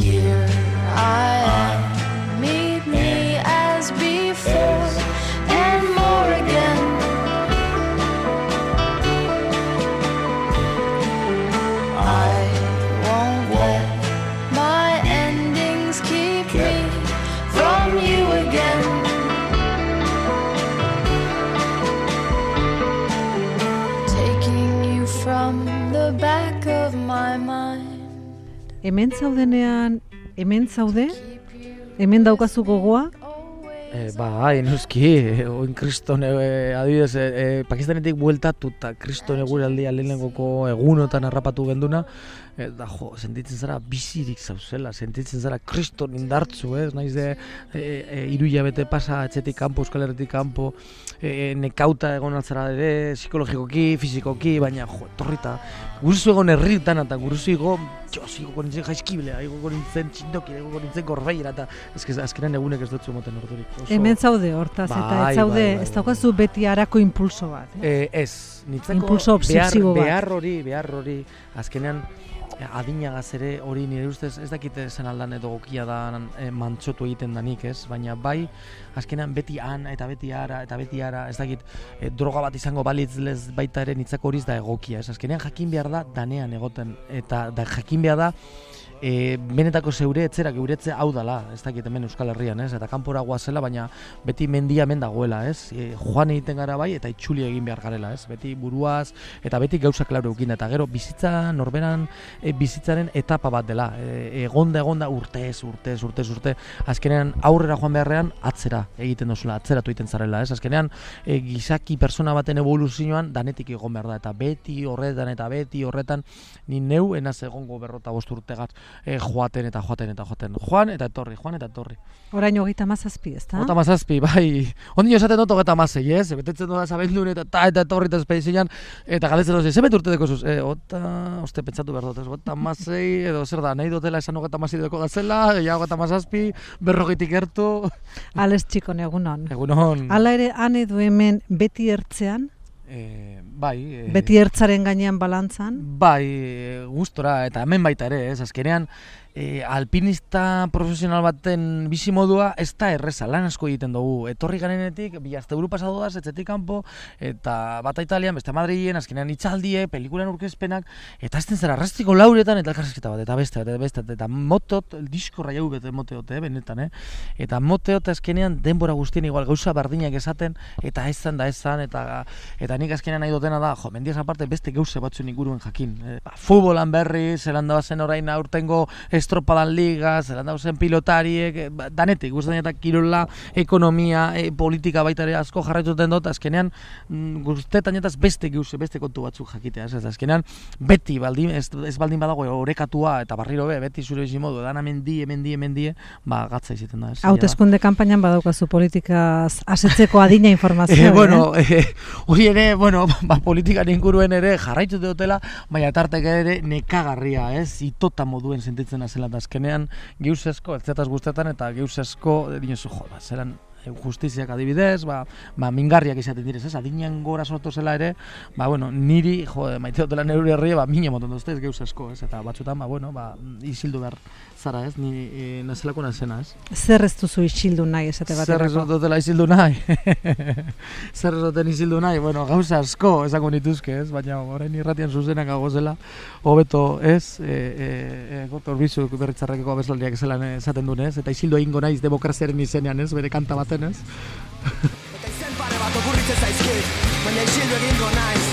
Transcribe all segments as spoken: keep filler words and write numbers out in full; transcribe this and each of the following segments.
Here I am, meet me as before and more again. I won't let my endings keep me from you again. Taking you from the back of my mind. Hemen zaudenean, hemen zaude? Hemen daukazu gogoa? E, bai, noski, oin kriston, e, adibidez, e, e, Pakistanetik bueltatu eta kriston eguraldia lehenengoko egunotan harrapatu genduna, eta jo, sentitzen zara bizirik zauzela, sentitzen zara kriston indartzu, ez? Naiz de e, e, hiru hilabete pasa etxetik kanpo, Euskal Herritik kanpo, e, nekauta egon altzara ere, psikologikoki, fizikoki, baina jo, etorrita, guruzu egon herritan eta guruzu ego, jo, zigo nintzen jaizkiblea, ego nintzen txindoki, ego nintzen gorbeira, eta ezkez, azkenan egunek ez dutzu moten ordurik. Hemen zaude hortaz, eta bai, ez zaude, bai, bai, ez daukazu beti harako impulso bat. Eh? E, ez, nitzako impulso obsesibo bat. Behar hori, behar hori, azkenean, adinagaz ere hori nire ustez ez dakite zen aldan edo gokia da e, mantxotu egiten danik, ez? Baina bai, azkenean beti han eta beti ara eta beti ara, ez dakit e, droga bat izango balitz lez baita ere nitzako horiz da egokia, ez? Azkenean jakin behar da danean egoten, eta da, jakin behar da E, benetako zeure etzera geuretze hau dala, ez dakit hemen Euskal Herrian, ez? Eta kanpora goazela, baina beti mendia hemen dagoela, ez? E, joan egiten gara bai eta itxuli egin behar garela, ez? Beti buruaz eta beti gauza klaro eukin, eta gero bizitza norberan e, bizitzaren etapa bat dela. E, egonda egonda urtez, urtez, urtez, urte, azkenean aurrera joan beharrean atzera egiten dozula, atzeratu egiten zarela, ez? Azkenean e, gizaki persona baten evoluzioan danetik egon behar da, eta beti horretan eta beti horretan ni neu enaz egongo berrota bost urtegat. E, joaten eta joaten eta joaten. Joan eta etorri, joan eta etorri. Orain hogeita mazazpi, ez da? Hogeita mazazpi, bai. Ondino esaten dut hogeita mazei, ez? Betetzen dut zabendun eta ta eta etorri eta espedizian, eta galdetzen dut, zebet urte deko zuz? E, ota, oste, pentsatu behar dut, ez? Hogeita mazei, edo zer da, nahi dutela esan hogeita mazei deko gazela, ja hogeita mazazpi, berrogeitik gertu. Ales txikon, egunon. Egunon. Hala ere, han edo hemen beti ertzean? E, bai. E, beti ertzaren gainean balantzan? Bai, e, gustora, eta hemen baita ere, ez? Azkenean, E, alpinista profesional baten bizimodua ez da erreza, lan asko egiten dugu. Etorri garenetik, bi asteburu pasatu daz, etxetik kanpo, eta bata Italian, beste Madrilen, azkenean itxaldie, pelikulan urkezpenak, eta ez den zara arrastiko lauretan, eta elkarrezketa bat, eta beste, eta beste, eta motot, diskorra jau bete moteot, eh, benetan, eh? Eta moteot azkenean denbora guztien igual gauza bardinak esaten, eta ezan da ezan, eta eta nik azkenean nahi dutena da, jo, mendiaz aparte beste gauze batzuen inguruen jakin. Eh, ba, futbolan berri, zelan da bazen orain aurtengo estropadan liga, zelan dauzen pilotariek, danetik, guztien eta kirola, ekonomia, e, politika baita ere asko jarraituten dut, azkenean guztetan eta beste gauze, beste kontu batzuk jakitea, ez azkenean beti baldin, ez, ez baldin badago orekatua eta barriro be, beti zure bizimodu, edan amendie, mendie, mendie, ba, gatza izaten da. Hauteskunde kanpainan badaukazu politikaz asetzeko adina informazioa, eh? Bueno, hori ere, bueno, ba, politikan inguruen ere jarraitu dutela, baina tartek ere nekagarria, ez, itota moduen sentitzen zela da azkenean geuzesko, eltzetaz guztetan eta geuzesko, dinosu, jo, ba, zelan justiziak adibidez, ba, ba mingarriak izaten direz, ez, adinean gora sortu zela ere, ba, bueno, niri, jo, maite dutela neure herria, ba, mine moten duzte, ez geuzesko, ez, eta batzutan, ba, bueno, ba, isildu behar zara, ez, ni e, nazelako nazena, ez. Zer ez duzu isildu nahi, esate baterako? Zer ez dutela isildu nahi? Zer ez duten isildu nahi? Bueno, gauza asko esango nituzke, ez, baina orain irratian zuzenak agozela, hobeto, ez, e, e, e, gotor bizuk berritzarrekeko abeslariak zelan esaten duen, ez, eta isildu egingo naiz demokraziaren izenean, ez, bere kanta baten, ez. Eta izen pare bat okurritzen zaizkit, baina isildu egingo naiz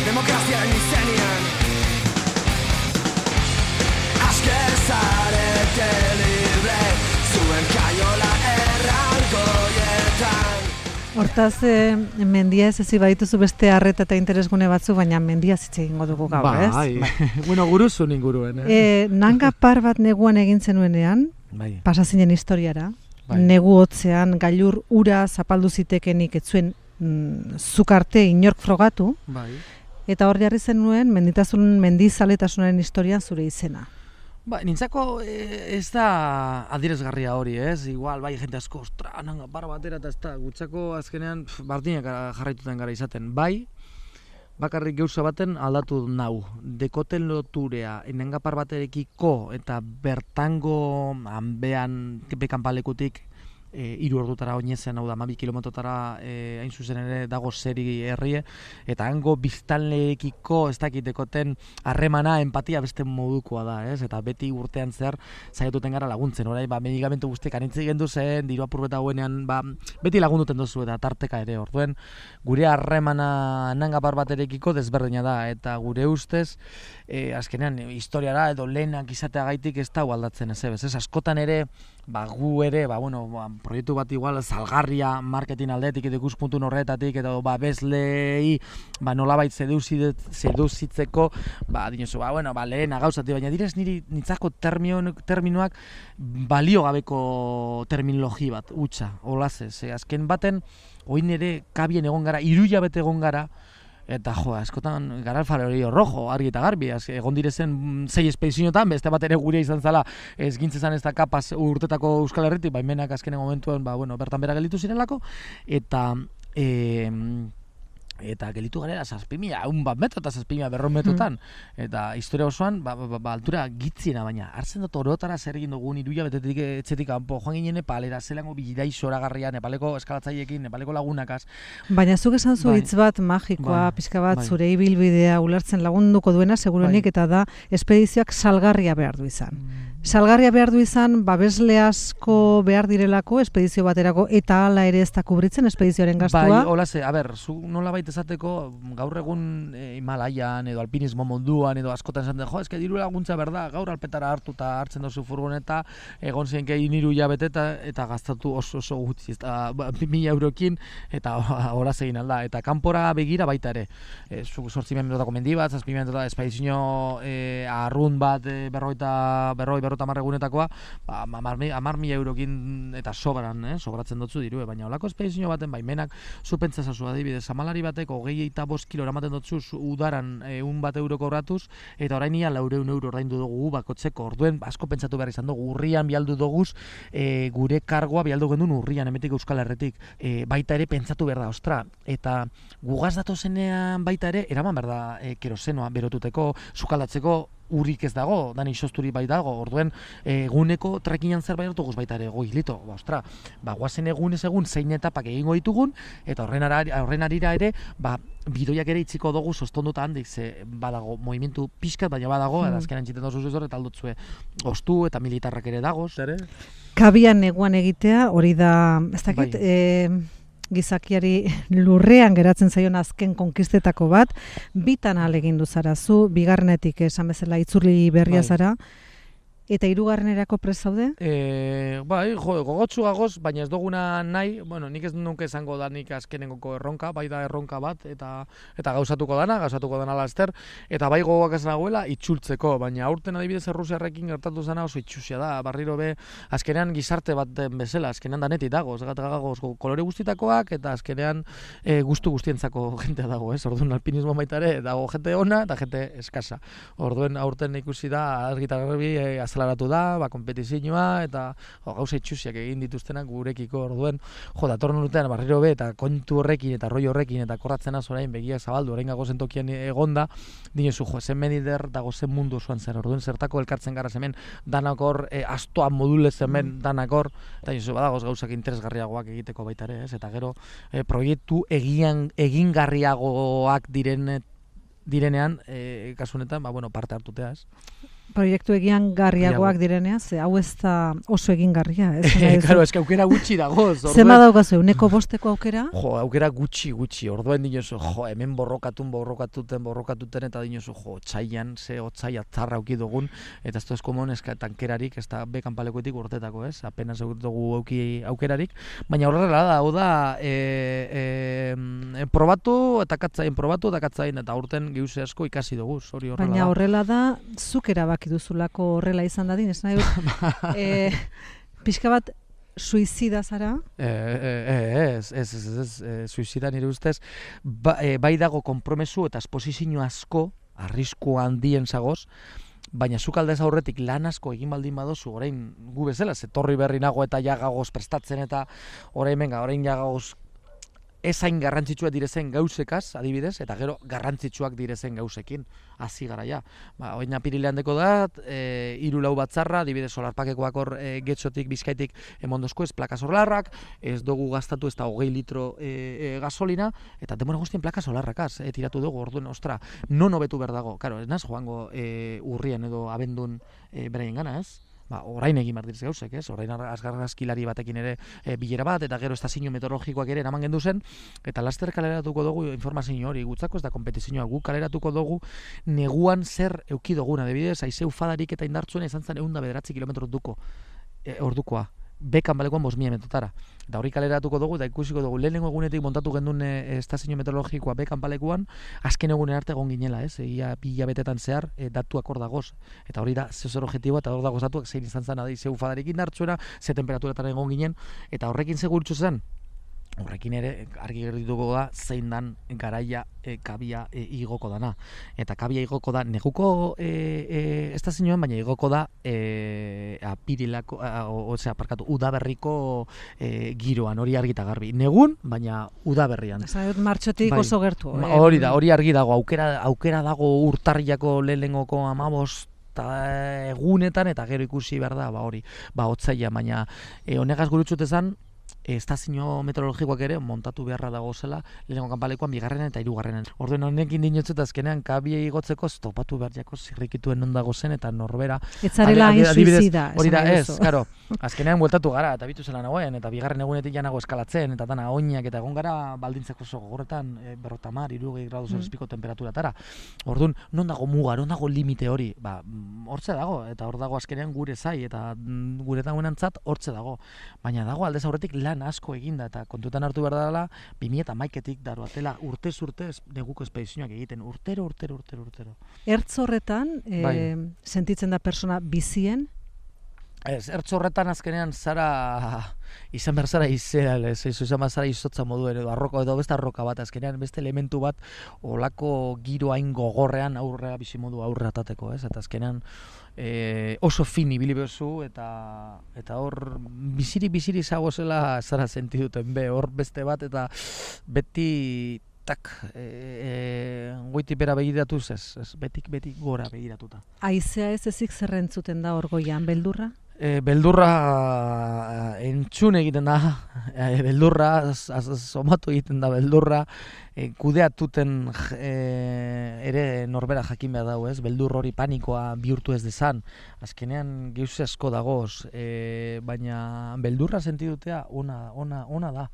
demokraziaren izenean. Asker zarete libre, zuen kaiola errangoietan. Hortaz, eh, mendia ez ezi badituzu beste arreta eta interesgune batzu, baina mendia zitze egingo dugu gaur, ez? Bai, bueno, guruzun inguruen, eh? E, nanga par bat neguan egin zenuenean, bai. Pasazinen historiara, bai. Negu hotzean, gailur ura zapaldu zitekenik etzuen mm, zukarte inork frogatu, bai. Eta hor jarri zenuen menditasun mendizaletasunaren historian zure izena. Ba, nintzako e, ez da adierazgarria hori, ez? Igual, bai, jente asko, ostra, nanga, bar batera eta ez da, gutzako azkenean pf, bardinak jarraituten gara izaten. Bai, bakarrik gauza baten aldatu nau. Dekoten loturea enengapar baterekiko eta bertango hanbean bekanpalekutik E, iru ordutara oinezen, hau da, hamabi kilometrotara e, hain zuzen ere dago zeri herrie, eta hango biztanleekiko ez dakitekoten harremana, empatia beste modukoa da, ez? Eta beti urtean zehar saiatuten gara laguntzen, orai, ba, medikamentu guztiak anitzi gendu zen, diru apurreta guenean, ba, beti lagunduten duzu eta tarteka ere, orduen, gure harremana nangapar baterekiko desberdina da, eta gure ustez, e, azkenean, historiara edo lehenak izateagaitik ez da aldatzen ez, ez, askotan ere, ba, gu ere, ba, bueno, ba, proiektu bat igual salgarria marketing aldetik edo ikuspuntu horretatik edo ba bezlei ba nolabait seduzitzeko ba dinozu ba bueno ba lehena gauzati baina direz niri nitzako terminoak balio gabeko terminologi bat hutsa olaz ze azken baten orain ere kabien egon gara hiru hilabete egon gara. Eta jo, askotan gara alfarerio rojo, argi eta garbi, egon direzen sei espedizioetan, beste bat ere gure izan zala, ez gintzezan ez da kapaz urtetako Euskal Herritik, baimenak azkenen momentuan, ba, bueno, bertan bera gelditu zirelako, eta... E, eta gelitu garela zazpimila, un bat metro eta zazpimila berron metrotan. Mm. Eta historia osoan, ba, ba, ba, altura gitziena, baina hartzen dut orotara zer egin dugu niruia betetik etxetik kanpo, joan ginen Nepalera, zelango bilidai zoragarria, Nepaleko eskalatzaiekin, Nepaleko lagunakaz. Baina zuk esan zu hitz bat magikoa, bai, pixka bat bai. Zure ibilbidea ulertzen lagunduko duena, seguruenik, bai. Eta da, espedizioak salgarria behar du izan. Mm. Salgarria behar du izan, babesle asko behar direlako, espedizio baterako, eta hala ere ez da kubritzen espedizioaren gastua. Bai, hola ze, a ber, zu nola baita esateko, gaur egun e, Himalaian edo alpinismo munduan edo askotan esaten, jo, eske diru laguntza berda, gaur alpetara hartu eta hartzen dozu furgoneta, egon zenke iniru hilabete eta, eta gastatu oso oso gutxi, eta ba, mila eurokin, eta hola egin alda, eta kanpora begira baita ere. E, zu sortzi minutako mendi bat, zazpi minutako espedizio e, arrun bat, e, berroita, berroi, berrota marregunetakoa, ba, amar mila eurokin eta sobran, eh, sobratzen dutzu dirue, baina olako espedizio baten baimenak, zu pentsazazu adibidez, amalari batek hogei eta bost kilo eramaten dutzu udaran eun bat euro kobratuz, eta orain ia laureun euro ordaindu dugu bakotzeko, orduen asko pentsatu behar izan dugu, urrian bialdu duguz, e, gure kargoa bialdu gendun urrian, emetik Euskal Herretik, e, baita ere pentsatu behar da, ostra, eta gugaz datozenean baita ere, eraman behar da e, kerosenoa berotuteko, sukaldatzeko, urik ez dago, dani sosturi bai dago, orduen eguneko trekinan zerbait hartu guz baita ere, goi, lito, ba, ostra, ba, guazen egunez egun zein etapak egingo ditugun, eta horren, arari, horren arira ere, ba, bidoiak ere itziko dugu sostonduta handik, ze badago, movimentu pixkat, baina badago, mm. edazkenan txiten dozu zuzor, eta aldotzue ostu eta militarrak ere dago, zer, Kabian neguan egitea, hori da, ez dakit, bai. e... gizakiari lurrean geratzen zaion azken konkistetako bat, bitan ahalegindu zara zu, bigarrenetik esan bezala itzurli berria bai. Zara, eta hirugarrenerako prest zaude? E, bai, jo, gogotsu gagoz, baina ez duguna nahi, bueno, nik ez nuke esango da nik azkenengoko erronka, bai da erronka bat, eta eta gauzatuko dana, gauzatuko dana laster, eta bai gogoak ez nagoela itxultzeko, baina aurten adibidez Errusiarrekin gertatu zena oso itxusia da, barriro be, azkenean gizarte bat den bezala, azkenean danetik dago, gagoz kolore guztitakoak, eta azkenean e, gustu guztientzako jentea dago, ez? Orduan alpinismo baita ere, dago jente ona eta jente eskasa. Orduen aurten ikusi da, argita garbi, e, azlaratu da, ba, kompetizioa, eta jo, gauza itxusiak egin dituztenak gurekiko, orduen, jo, datorren urtean barriro be, eta kontu horrekin, eta roi horrekin, eta korratzen az orain begiak zabaldu, orain gago zentokian egonda, dinezu, jo, zen medider dago zen mundu osoan zer, orduen zertako elkartzen gara hemen danakor, e, astoa modulez hemen danakor, eta dinezu, badagoz gauzak interesgarriagoak egiteko baita ere, ez, eta gero, e, proiektu egian, egingarriagoak diren, direnean, e, kasu honetan, ba, bueno, parte hartutea, ez? Proiektu egian garriagoak direnea, ze hau ez da oso egingarria. Claro, ez que aukera gutxi dago. Zema daukazu, uneko bosteko aukera? Jo, aukera gutxi, gutxi. Orduen dinozu, jo, hemen borrokatun, borrokatuten, borrokatuten, eta dinozu, jo, txaian, ze otzai atzarra auki dugun, eta ez da ez komon, ez tankerarik, ez da bekanpalekoetik urtetako, ez? Apenas dugu auki aukerarik. Baina horrela da, hau da, e, e, probatu, eta katzain, probatu, eta katzain, eta aurten gehuze asko ikasi dugu, hori horrela da. Baina horrela da, zuk erabaki duzulako horrela izan dadin, ez nahi dut, e, pixka bat suizida zara? E, e, ez, ez, ez, ez, ez, suizida nire ustez, ba, e, bai dago konpromesu eta esposizio asko, arrisku handien zagoz, baina zuk aldez aurretik lan asko egin baldin badozu, orain gu bezala, zetorri berri nago eta jagagoz prestatzen eta orain menga, orain jagagoz ezain garrantzitsuak direzen gauzekaz, adibidez, eta gero garrantzitsuak direzen gauzekin, hasi gara ja. Ba, oin apirilean deko da, e, hiru lau batzarra, adibidez, solarpakekoak hor e, getxotik, bizkaitik emondozko ez plaka solarrak, ez dugu gastatu ez da hogei litro e, e, gasolina, eta demora guztien plaka solarrakaz, e, tiratu dugu, orduen, ostra, non hobetu behar dago, karo, ez naz joango e, urrien edo abendun e, beraien gana, ez? Ba, orain egin behar direz gauzek, ez? Orain azgarrazkilari batekin ere e, bilera bat, eta gero estazio meteorologikoak ere eraman gendu zen, eta laster kaleratuko dugu informazio hori, gutzako ez da kompetizioa, gu kaleratuko dugu neguan zer euki duguna, adibidez, haizeu fadarik eta indartzuena izan zen ehun eta bederatzi kilometro duko, e, ordukoa, bekan balekoan bost mila metrotara. Eta hori kaleratuko dugu, eta ikusiko dugu, lehenengo egunetik montatu gendun e, estazio meteorologikoa bekan balekuan, azken egunen arte egon ginela, ez? Ia bi hilabetetan zehar e, datuak hor dagoz. Eta hori da, zezer objektiboa, eta hor dagoz datuak zein izan zen, adizeu fadarik indartzuena, ze temperaturetan egon ginen, eta horrekin segurtzu zen, horrekin ere argi gertuko da zein dan garaia e, kabia e, igoko dana. Eta kabia igoko da neguko e, e, estazioan, baina igoko da e, apirilako, osea, parkatu, udaberriko e, giroan, hori argita garbi. Negun, baina udaberrian. Esan dut martxotik bai, oso gertu. Eh? Hori da, hori argi dago, aukera, aukera dago urtarriako lehenengoko amabost egunetan, eta gero ikusi behar da, ba hori, ba otzaila, baina e, honegaz gurutzut ezan, estazio meteorologikoak ere montatu beharra dago zela lehenengo kanpalekuan bigarrenen eta hirugarrenen. Orduen honekin dinotzut azkenean kabia igotzeko topatu behar jako zirrikituen non dago zen eta norbera. Etzarela hain suizida. Hori da, ez, karo, azkenean bueltatu gara eta bitu zela nagoen eta bigarren egunetik janago eskalatzen eta dana oinak eta egon gara baldintzako oso gogorretan e, berrotamar, hirurogei gradu zelzpiko mm. temperaturatara. Ordun non dago muga, non dago limite hori? Ba, hortze dago eta hor dago azkenean gure zai eta gure dagoenantzat hortze dago. Baina dago aldez aurretik lan asko eginda eta kontutan hartu behar dela bi mila hamaikatik daroatela urtez urtez neguko espedizioak egiten urtero, urtero, urtero, urtero. Ertz horretan, e, bai. Sentitzen da persona bizien? Ez, ertz horretan azkenean zara izan behar zara izea, ez, ez, izan behar zara izotza moduen edo arroka edo beste arroka bat, azkenean beste elementu bat olako giro hain gogorrean aurrea bizimodu aurrea atateko, ez, eta azkenean E, oso fin ibili bezu eta eta hor biziri biziri zago zela zara sentiduten be hor beste bat eta beti tak e, e, goiti bera begiratuz ez, ez betik betik gora begiratuta. Aizea ez ezik zerrentzuten da hor goian, beldurra? E, beldurra entzun egiten da, e, beldurra somatu egiten da beldurra, e, kudeatuten e, ere norbera jakin behar dago, ez? Beldur hori panikoa bihurtu ez dezan. Azkenean geuse asko dagoz, e, baina beldurra sentidutea ona, ona, ona da.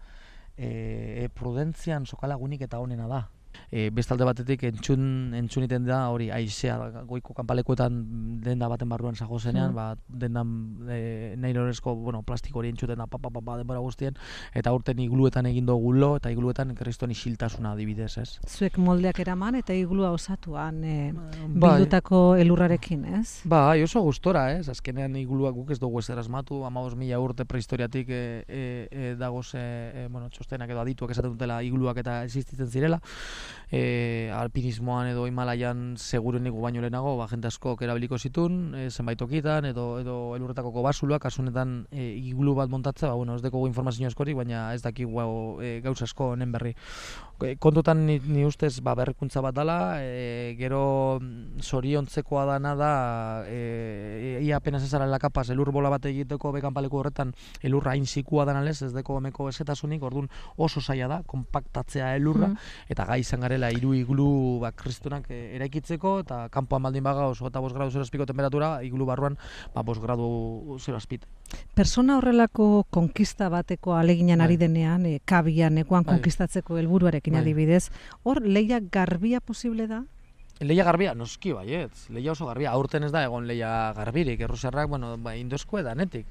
E, prudentzian sokalagunik eta onena da. E, bestalde batetik entzun entzuniten da hori aizea goiko kanpalekuetan denda baten barruan zago zenean, mm. ba, dendan e, nailorezko, bueno, plastiko hori entzuten da papa papa denbora guztien eta urten igluetan egin dugu lo eta igluetan kriston isiltasuna adibidez, ez? Zuek moldeak eraman eta iglua osatuan e, bildutako elurrarekin, ez? Bai, oso gustora, ez? Azkenean iglua guk ez dugu ezer asmatu, hamabost mila urte prehistoriatik e, e, e, dagoz e, e, bueno, txostenak edo adituak esaten dutela igluak eta existitzen zirela. E, alpinismoan edo Himalaian segurenik baino lehenago, ba, jente asko erabiliko zitun, e, zenbait tokitan edo edo elurretako basuluak, kasunetan e, iglu bat montatzea, ba, bueno, ez dekogu informazio askorik, baina ez dakigu e, gauza asko honen berri. E, kontutan ni, ni ustez ba, berrikuntza bat dela, e, gero zoriontzekoa dana da, e, ia apenas ezarela kapaz, elur bola bat egiteko bekanpaleku horretan elurra hain zikua danalez, ez deko emeko ezetasunik, orduan oso zaila da, kompaktatzea elurra, mm. eta gai izan garela hiru iglu ba, kristunak e, eraikitzeko, eta kanpoan baldin baga oso eta bost gradu zero azpiko temperatura, iglu barruan ba, bost gradu zero azpit. Persona horrelako konkista bateko aleginan ari denean, e, kabian, ekuan konkistatzeko helburuarekin adibidez, hor leia garbia posible da? Leia garbia, noski baietz, leia oso garbia, aurten ez da egon leia garbirik, errusiarrak, bueno, ba, indosko edanetik,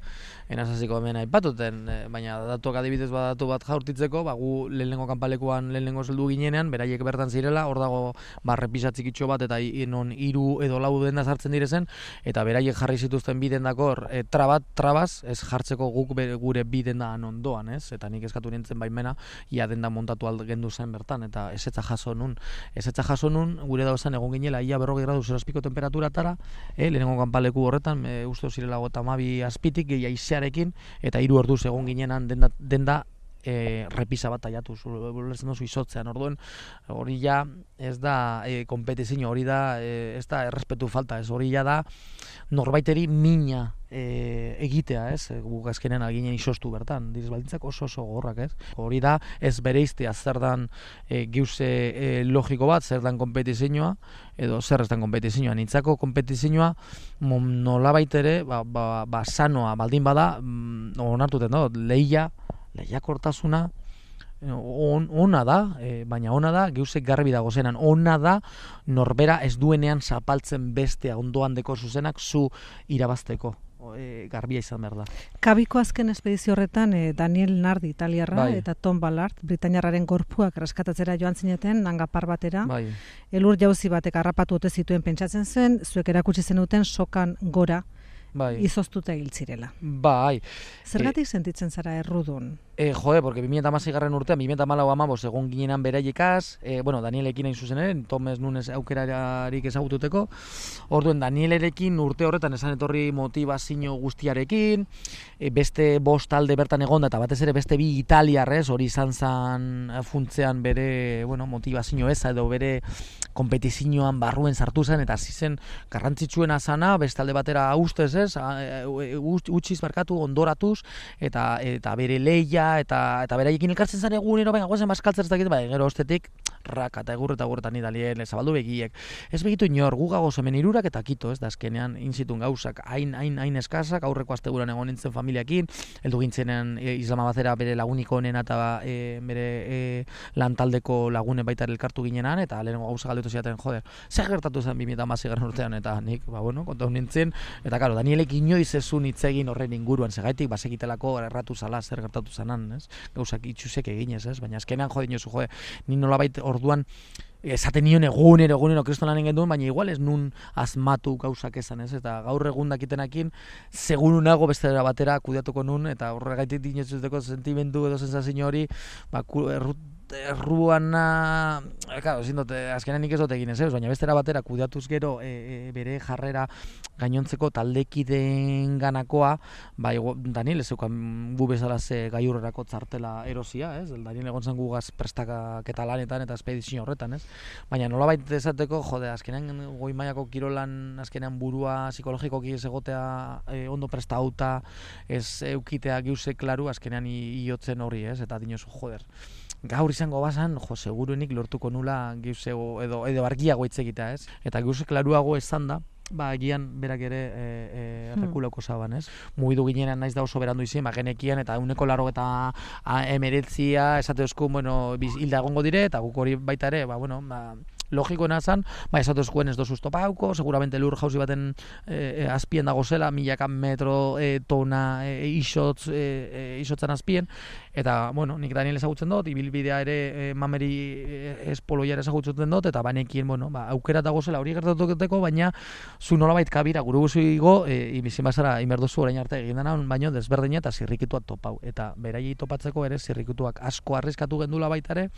enazaziko hemen aipatuten, baina datuak adibidez badatu bat jaurtitzeko, ba, gu lehenengo kanpalekuan lehenengo zeldu ginenean, beraiek bertan zirela, hor dago ba, repisatzikitxo bat, eta non hiru edo lau denda sartzen direzen, eta beraiek jarri zituzten bi dendakor, e, trabat, trabaz, ez jartzeko guk be, gure bi dendan ondoan, ez? Eta nik eskatu nintzen baimena, ia denda montatu algendu zen bertan, eta ezetza jaso nun, ezetza jaso nun, gure dauzan egon ginela ia berrogei gradu zero azpiko temperaturatara, eh, lehenengo kanpaleku horretan, e, uste zirela gota hamabi azpitik, gehi aizearekin, eta hiru orduz egon ginenan denda, denda e, repisa bat taiatu, ulertzen duzu izotzean, orduen, hori ja ez da e, kompetizio, hori da, e, ez da errespetu falta, ez hori ja da norbaiteri mina e, egitea, ez, e, guk azkenean aginen izostu bertan, direz baldintzak oso oso gorrak, ez, hori da ez bereiztea zer dan e, giuze e, logiko bat, zer dan kompetizioa, edo zer ez dan kompetizioa, nintzako kompetizioa nolabait ere, ba, ba, ba sanoa baldin bada, mm, onartuten da, lehia, lehiakortasuna on, ona da, e, baina ona da, geuzek garbi dago zenan, ona da norbera ez duenean zapaltzen bestea ondoan deko zuzenak zu irabazteko. E, garbia izan behar da. Kabiko azken espedizio horretan e, Daniel Nardi italiarra bai. eta Tom Ballard britainiarraren gorpuak erreskatatzera joan zineten hangapar batera. Bai. Elur jauzi batek harrapatu ote zituen pentsatzen zen, zuek erakutsi zenuten sokan gora bai. izoztuta hil zirela. Bai. Zergatik e, sentitzen zara errudun? E, jode, porque bi mila hamasei garren urtean, bi mila hamalau hamabost egon ginenan beraiekaz, e, bueno, Danielekin hain zuzen ere, Tomes Nunes aukerarik ezagututeko, orduen Danielerekin urte horretan esan etorri motivazio guztiarekin, e, beste bost talde bertan egonda, eta batez ere beste bi italiarrez, hori izan zan funtzean bere, bueno, motivazio eza edo bere kompetizioan barruen sartu zen, eta hasi zen garrantzitsuena zana, beste alde batera ustez ez, utziz barkatu, ondoratuz, eta, eta bere leia, eta eta beraiekin elkartzen zen egunero, baina gozen bazkaltzen ez dakit, bai, gero ostetik raka eta egur eta egurretan idalien, zabaldu begiek. Ez begitu inor, gu gagoz hemen irurak eta kito, ez da azkenean inzitun gauzak, hain, hain, hain eskazak, aurreko asteguran egon nintzen familiakin, heldu gintzenen e, Islamabadera bere laguniko honena eta e, bere e, lantaldeko lagunen baita elkartu ginenan, eta lehenengo gauza galdetu ziaten, joder, zer gertatu zen bi mila hamasei garren urtean, eta nik, ba, bueno, kontau nintzen, eta karo, Danielek inoiz ezun hitz egin horren inguruan, segaitik, basekitelako erratu zala, zer gertatu zanan, ez? Gauzak itxusek eginez, ez? Baina azkenean jode inozu, jode, ni nolabait orduan esaten nion egunero, egunero kristonanen genduen, baina igual ez nun asmatu gauzak esan, ez? Eta gaur egun dakitenakin, seguru nago beste batera kudeatuko nun, eta horregaitik dinezuzteko sentimendu edo sensazio hori, ba, erruana, claro, ezin dut, azkenean nik ez dut egin ez, baina bestera batera kudeatuz gero e, e, bere jarrera gainontzeko taldekideen ganakoa, ba, Daniel ez zeukan gu bezala ze gaiurrerako txartela erosia, ez? Daniel egon zen gugaz prestaketa lanetan eta espedizio horretan, ez? Baina nolabait esateko, jode, azkenean goi mailako kirolan, azkenean burua psikologikoki ez egotea e, ondo prestauta, ez eukitea giuse klaru, azkenean iotzen horri, ez? Eta dinosu, joder, gaur izango bazan, jo, seguruenik lortuko nula geuzego edo edo argiago hitz egitea, ez? Eta geuse klaruago esan da, ba, egian berak ere e, e, errekulako zaban, ez? Mugidu ginenan naiz da oso berandu izin, ba, genekian eta uneko laro eta emeretzia, esate euskun, bueno, hilda egongo dire, eta guk hori baita ere, ba, bueno, ba, logikoena zan, ba, esatu eskuen ez dozu estopauko, seguramente lur jauzi baten e, e, azpien dago zela, milaka metro e, tona e, isotz, e, e, isotzan azpien, eta, bueno, nik Daniel ezagutzen dut, ibilbidea ere e, mameri e, espoloia ere ezagutzen dut, eta banekien, bueno, ba, aukera dago zela hori gertatuteko, baina zu nolabait kabira, guru guzuigo, e, ibizin bazara, imerdozu orain arte egin dena, baino desberdina eta zirrikituak topau, eta beraiei topatzeko ere zirrikituak asko arriskatu gendula baita ere.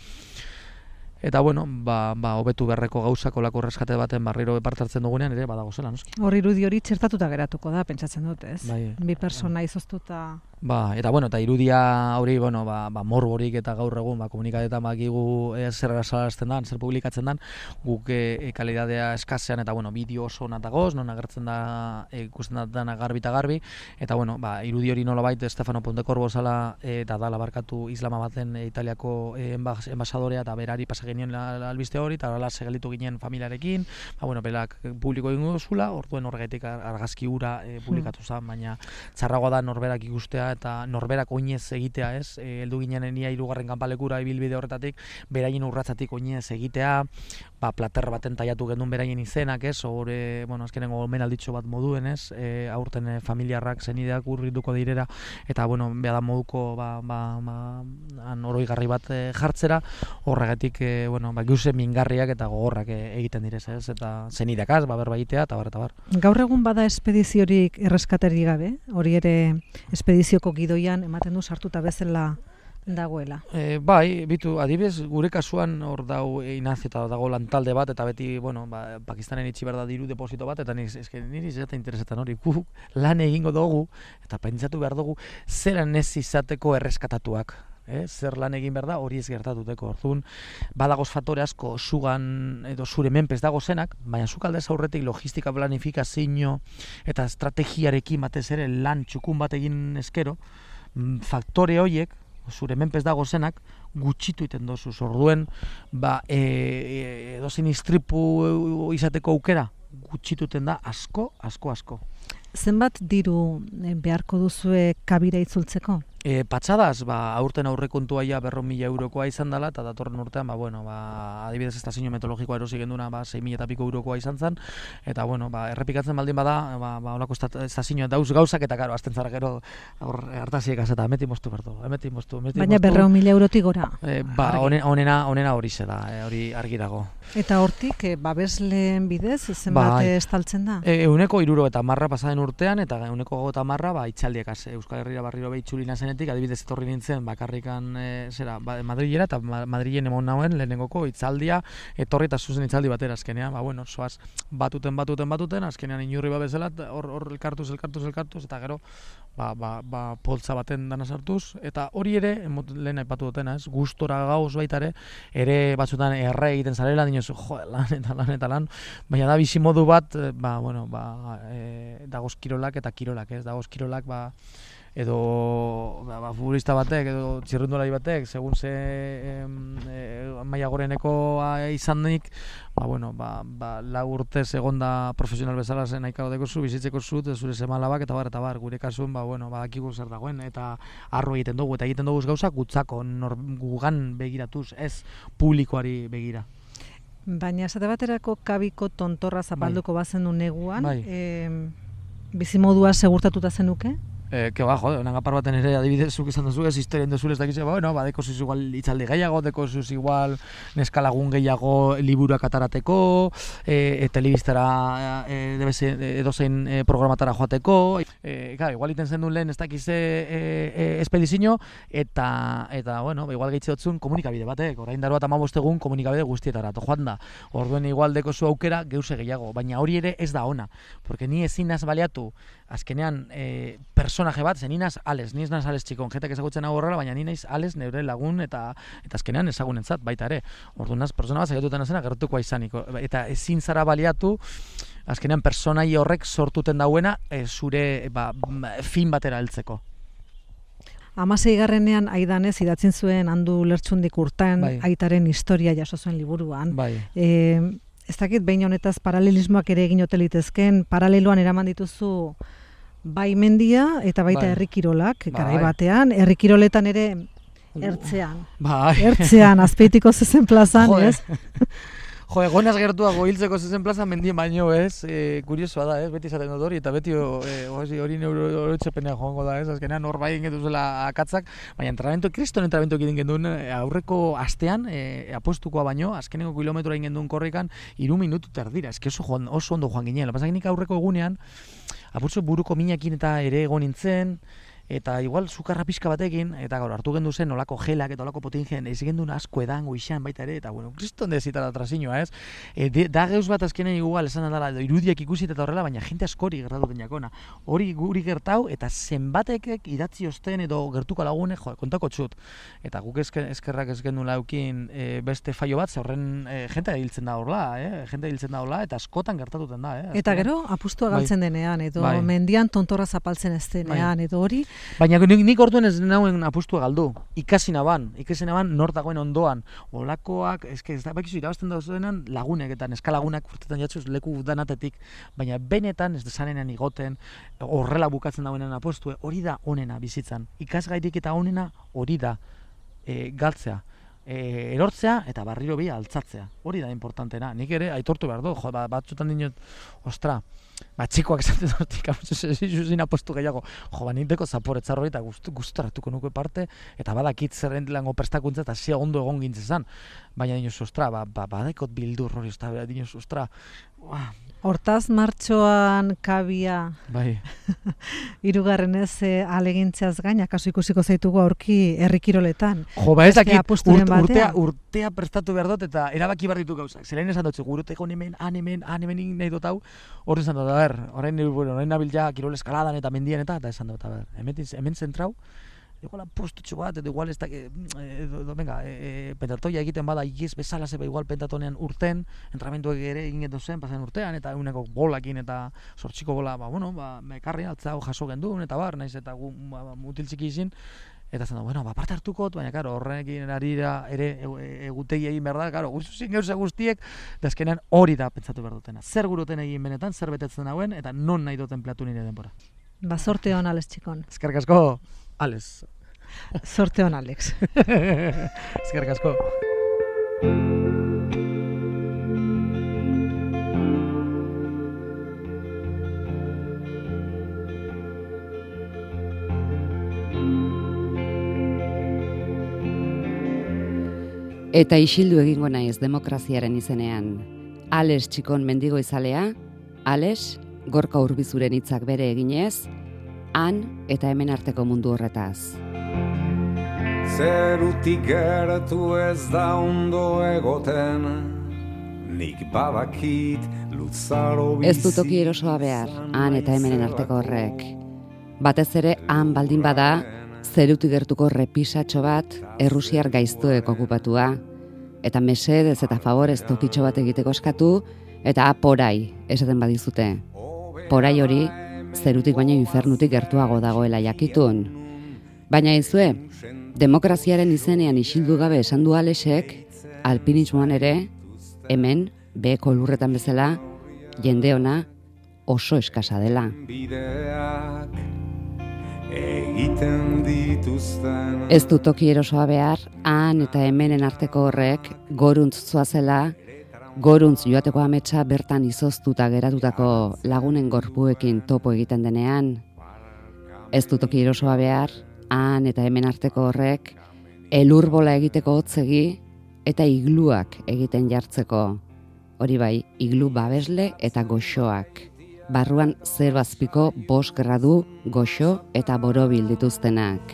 Eta, bueno, ba, ba, hobetu berreko gauzako lako reskate baten barriro epartartzen dugunean, ere, badago zela, noski. Hor irudi hori txertatuta geratuko da, pentsatzen dut, ez? Bai, bi persona izoztuta. Ba, eta, bueno, eta irudia hori, bueno, ba, ba morborik eta gaur egun, ba, komunikadetan bakigu e, zer salarazten dan, zer publikatzen dan, guk e, kalidadea eskasean, eta, bueno, bideo oso natagoz, non agertzen da, e, ikusten da dana garbi eta garbi, eta, bueno, ba, irudi hori nolabait Stefano Pontecorvo zala, eta dala barkatu Islamabaden e, Italiako e, enbasadorea, eta berari pasagenien la, la albiste hori, eta horrela segelitu ginen familiarekin, ba, bueno, belak publiko egingo zula, orduen horregatik argazki hura e, publikatu zen, baina txarragoa da norberak ikustea, eta norberak oinez egitea, ez? E, heldu ginenen ia hirugarren kanpalekura ibilbide horretatik, beraien urratzatik oinez egitea, ba, plater baten taiatu gendun beraien izenak, ez? Hore, bueno, azkenengo omenalditxo bat moduen, ez? E, aurten e, familiarrak zenideak urrituko direra, eta, bueno, beha da moduko, ba, ba, ba, oroigarri bat e, jartzera, horregatik, e, bueno, ba, giuse mingarriak eta gogorrak e, egiten direz, ez? Eta zenideakaz, ba, berba egitea, eta bar, eta bar. Gaur egun bada espediziorik erreskateri gabe, hori ere espedizioko gidoian ematen du sartuta bezala dagoela. E, bai, bitu, adibidez, gure kasuan hor dau Inazio eta dago lantalde bat, eta beti, bueno, ba, Pakistanen itxi behar da diru deposito bat, eta nire, eske, nire izate interesetan hori, guk lan egingo dugu, eta pentsatu behar dugu, zeran ez izateko erreskatatuak. eh? Zer lan egin behar da, hori ez gertatuteko. Orduan, badagoz faktore asko sugan edo zure menpez dago zenak, baina zuk aldez aurretik logistika planifikazio eta estrategiarekin batez ere lan txukun bat egin eskero, faktore horiek, zure menpez dago zenak, gutxitu iten dozuz. Orduen, ba, e, e, edozein istripu izateko aukera, gutxituten da asko, asko, asko. Zenbat diru beharko duzue kabira itzultzeko? E, patxadaz, ba, aurten aurrekontua ja berrehun mila eurokoa izan dela, eta datorren urtean, ba, bueno, ba, adibidez estazio meteorologikoa erosi genduna, ba, sei mila eta piko eurokoa izan zen, eta, bueno, ba, errepikatzen baldin bada, ba, ba, olako estazioa dauz gauzak, eta, karo, azten zara gero, hartaziek azeta, emeti moztu bertu, emeti moztu, emeti Baina berrehun mila eurotik gora. E, ba, onena, onena hori ze da, e, hori argi dago. Eta hortik, e, babesleen bidez, zenbat ba, estaltzen da? E, euneko iruro eta marra pasaden urtean, eta euneko gota marra, ba, itxaldiekaz, Euskal Herrira barriro behitxulina zen, adibidez etorri nintzen bakarrikan e, zera, ba, Madrilera eta Madrilen emon nauen lehenengoko itzaldia etorri eta zuzen itzaldi batera azkenean, ba bueno, soaz batuten batuten batuten, azkenean inurri ba bezala hor hor elkartuz elkartuz elkartuz eta gero ba, ba, ba poltza baten dana sartuz eta hori ere lehen aipatu dutena, ez? Gustora gauz baita ere, ere batzutan erre egiten zarela, dinozu, jo, lan eta lan eta lan, baina da bizi modu bat, ba bueno, ba e, dagoz kirolak eta kirolak, ez? Dagoz kirolak ba edo ba, ba, futbolista batek edo txirrindulari batek segun ze e, maila gorenekoa izanik, ba bueno, ba, ba lau urtez egonda profesional bezala zen naikao dekozu, bizitzeko zu, zure semalabak eta bar eta bar, gure kasuan ba bueno, badakigu zer dagoen eta arro egiten dugu eta egiten dugu gauzak gutzako nor, gugan begiratuz, ez publikoari begira. Baina esate baterako kabiko tontorra zapalduko bai. Bazen du neguan, bai. e, bizimodua segurtatuta zenuke? Eh, que ba, jode, onangapar baten ere adibidez zuk izan duzu, ez historien duzule ez dakize, ba, bueno, ba, dekozuz igual itzaldi gehiago, dekozuz igual neskalagun gehiago liburuak atarateko, e, e, telebistara e, edozein e, programatara joateko, e, claro, igual iten zen duen lehen ez dakize e, e, espedizio, eta, eta, bueno, igual gehitze dutzun komunikabide batek, orain daro bat amabost egun komunikabide guztietara, to joan da, orduen igual dekozu aukera geuse gehiago, baina hori ere ez da ona, porque ni ezin naz baliatu, azkenean, e, personaje bat, zen ninaz ales, niz naz ales txikon, jentak ezagutzen hau horrela, baina ni naiz ales neure lagun eta eta azkenean ezagunentzat baita ere. Orduan naz, persona bat zaiatuten zena gertukoa izaniko, eta ezin zara baliatu, azkenean personai horrek sortuten dauena e, zure ba, fin batera heltzeko. Hamaseigarrenean aidanez idatzin zuen Andu Lertxundik Urtan, bai. Aitaren historia jaso zuen liburuan. Bai. E, ez dakit behin honetaz paralelismoak ere egin ote litezken, paraleloan eraman dituzu bai mendia eta baita bai. herrikirolak, bai. garai batean, herrikiroletan ere ertzean. Bai. Ertzean, Azpeitiko zezen plazan, ez? Jo, egonaz gertuago hiltzeko zezen plaza mendien baino, ez? E, kuriosoa da, ez? Beti izaten dut hori, eta beti e, hori neuroitzepenea joango da, ez? Azkenean hor bai egin zela akatzak, baina entrenamentu, kriston entrenamentu egin genduen aurreko astean, e, apostukoa baino, azkeneko kilometroa egin genduen korrikan, hiru minutu terdira, eski oso, joan, oso ondo joan ginen. Lapazak nik aurreko egunean, apurtzu buruko minakin eta ere egon nintzen, eta igual sukarra pixka batekin, eta gaur hartu gendu zen olako gelak eta olako potingen, ez gendu asko edan goixan baita ere, eta bueno, kriston dezitara trasinua, ez? E, de, da geuz bat azkenen igual esan dela, irudiak ikusit eta horrela, baina jente askori gertatu den jakona. Hori guri gertau, eta zenbatekek idatzi osten edo gertuko lagune, jo, kontako txut. Eta guk ezker, eskerrak ez gendu laukin e, beste faio bat, ze horren e, jente hiltzen da horla, eh? Jente hiltzen da horla, eta askotan gertatuten da, eh? Eta gero, apustua galtzen bai. Denean, edo bai. Mendian tontorra zapaltzen ez denean, bai. Edo hori. Baina nik, nik orduan ez nauen apustua galdu, ikasi naban, ikasi naban nor dagoen ondoan, olakoak, eske ez da, bakizu irabazten dauzenan lagunek eta neskalagunak urtetan jatzuz leku danatetik, baina benetan ez desanenan igoten, horrela bukatzen dagoenan apostue, hori da onena bizitzan, ikasgairik eta onena hori da e, galtzea. E, erortzea eta barriro bi altzatzea. Hori da importantena. Nik ere aitortu behar du, jo, ba, batzutan dinot, ostra, ba, txikoak esaten dut, zuzin apostu gehiago, jo, ba, ninteko zaporetzar hori eta gustaratuko nuke parte, eta badakit zerren lango prestakuntza eta zia ondo egon gintzezan. Baina dinot, ostra, ba, ba, badekot bildur hori, ostra, dinot, ostra, ba, hortaz martxoan kabia bai. Hirugarrenez e, alegintzeaz gain, akaso ikusiko zaitugu aurki herrikiroletan. Jo, ba ez dakit, urt, urtea, urtea prestatu behar dut eta erabaki behar ditu gauzak. Zerain esan dut, guruteko hemen, han hemen, han hemen nahi dut hau, hori esan dut, a ber, orain, bueno, orain nabil ja kirol eskaladan eta mendian eta, eta esan dut, a ber, hemen, hemen zentrau, igual postutxo bat, edo igual ez da, edo, venga, e, pentatoia egiten bada ikiz bezala zeba igual pentatonean urten, entramentuak ere egin edo zen, pasen urtean, eta eguneko bolakin eta sortxiko bola, ba, bueno, ba, ekarri altza jaso genduen, eta bar, naiz eta gu, ba, mutil txiki izin, eta zen da, bueno, ba, parte hartukot, baina, karo, horrekin arira ere egutegi egin behar da, karo, guztuzin gauza guztiek, da azkenean hori da pentsatu behar dutena. Zer guruten egin benetan, zer betetzen dauen, eta non nahi duten platu nire denbora. Ba, sorte hon, Alex Txikon. Eskerrik asko, Alex. Sorte hon, Alex. Eskerrik asko. Eta isildu egingo naiz demokraziaren izenean. Alex Txikon mendigo izalea, Alex, Gorka Urbizuren hitzak bere eginez, han eta hemen arteko mundu horretaz. Zerutik gertu ez da ondo egoten, nik badakit luzaro bizi. Ez du toki erosoa behar, han eta hemenen arteko horrek. Batez ere, han baldin bada, zerutik gertuko repisatxo bat, errusiar gaiztoek okupatua, eta mesedez eta favorez tokitxo bat egiteko eskatu, eta porai, esaten badizute. Porai hori, zerutik baino infernutik gertuago dagoela jakitun. Baina izue, demokraziaren izenean isildu gabe esan du Alexek, alpinismoan ere, hemen, beheko lurretan bezala, jende ona oso eskasa dela. Egiten dituzten. Ez du toki erosoa behar, han eta hemenen arteko horrek, goruntz zoazela, goruntz joateko ametsa bertan izoztuta geratutako lagunen gorpuekin topo egiten denean. Ez du toki erosoa behar, han eta hemen arteko horrek, elurbola egiteko hotzegi eta igluak egiten jartzeko. Hori bai, iglu babesle eta goxoak. Barruan zero azpiko bost gradu, goxo eta borobil dituztenak.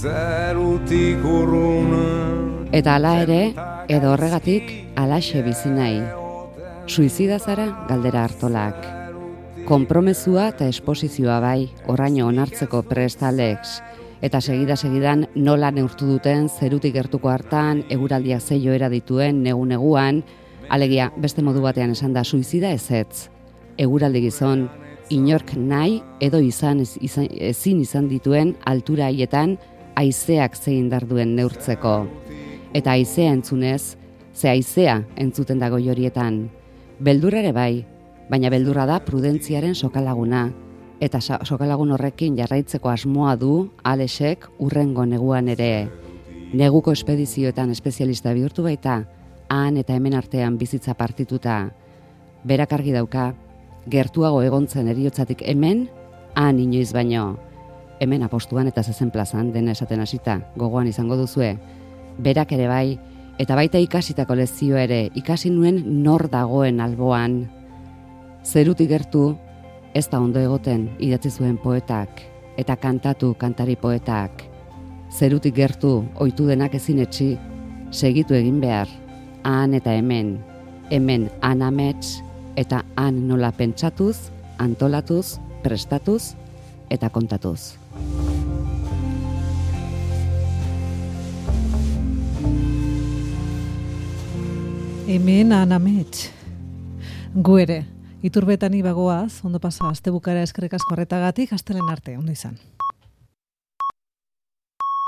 Zerutik urrun. Eta hala ere, edo horregatik, alaxe bizi nahi. Suizida zara, galdera hartolak. Konpromezua eta esposizioa bai, oraino onartzeko prest Alex. Eta segida-segidan nola neurtu duten zerutik gertuko hartan, eguraldiak ze joera dituen negu-neguan, alegia beste modu batean esan da suizida ezetz. Eguraldi gizon, inork nahi edo izan, izan ezin izan dituen altura haietan haizeak zein darduen neurtzeko. Eta haizea entzunez, ze haizea entzuten dago horietan. Beldurra ere bai, baina beldurra da prudentziaren sokalaguna. Eta sokalagun horrekin jarraitzeko asmoa du Alexek urrengo neguan ere. Neguko espedizioetan espezialista bihurtu baita, han eta hemen artean bizitza partituta. Berak argi dauka, gertuago egontzen eriotzatik hemen, han inoiz baino. Hemen apostuan eta zezen plazan, dena esaten hasita, gogoan izango duzue. Berak ere bai, eta baita ikasitako lezio ere, ikasi nuen nor dagoen alboan. Zerutik gertu, ez da ondo egoten idatzi zuen poetak, eta kantatu kantari poetak. Zerutik gertu, ohitu denak ezin etxi, segitu egin behar, han eta hemen, hemen han amets, eta han nola pentsatuz, antolatuz, prestatuz eta kontatuz. Hemen han amets. Gu ere, Iturbetan ibagoaz, ondo pasa, astebukara eskerrik asko horretagatik, astelen arte, ondo izan.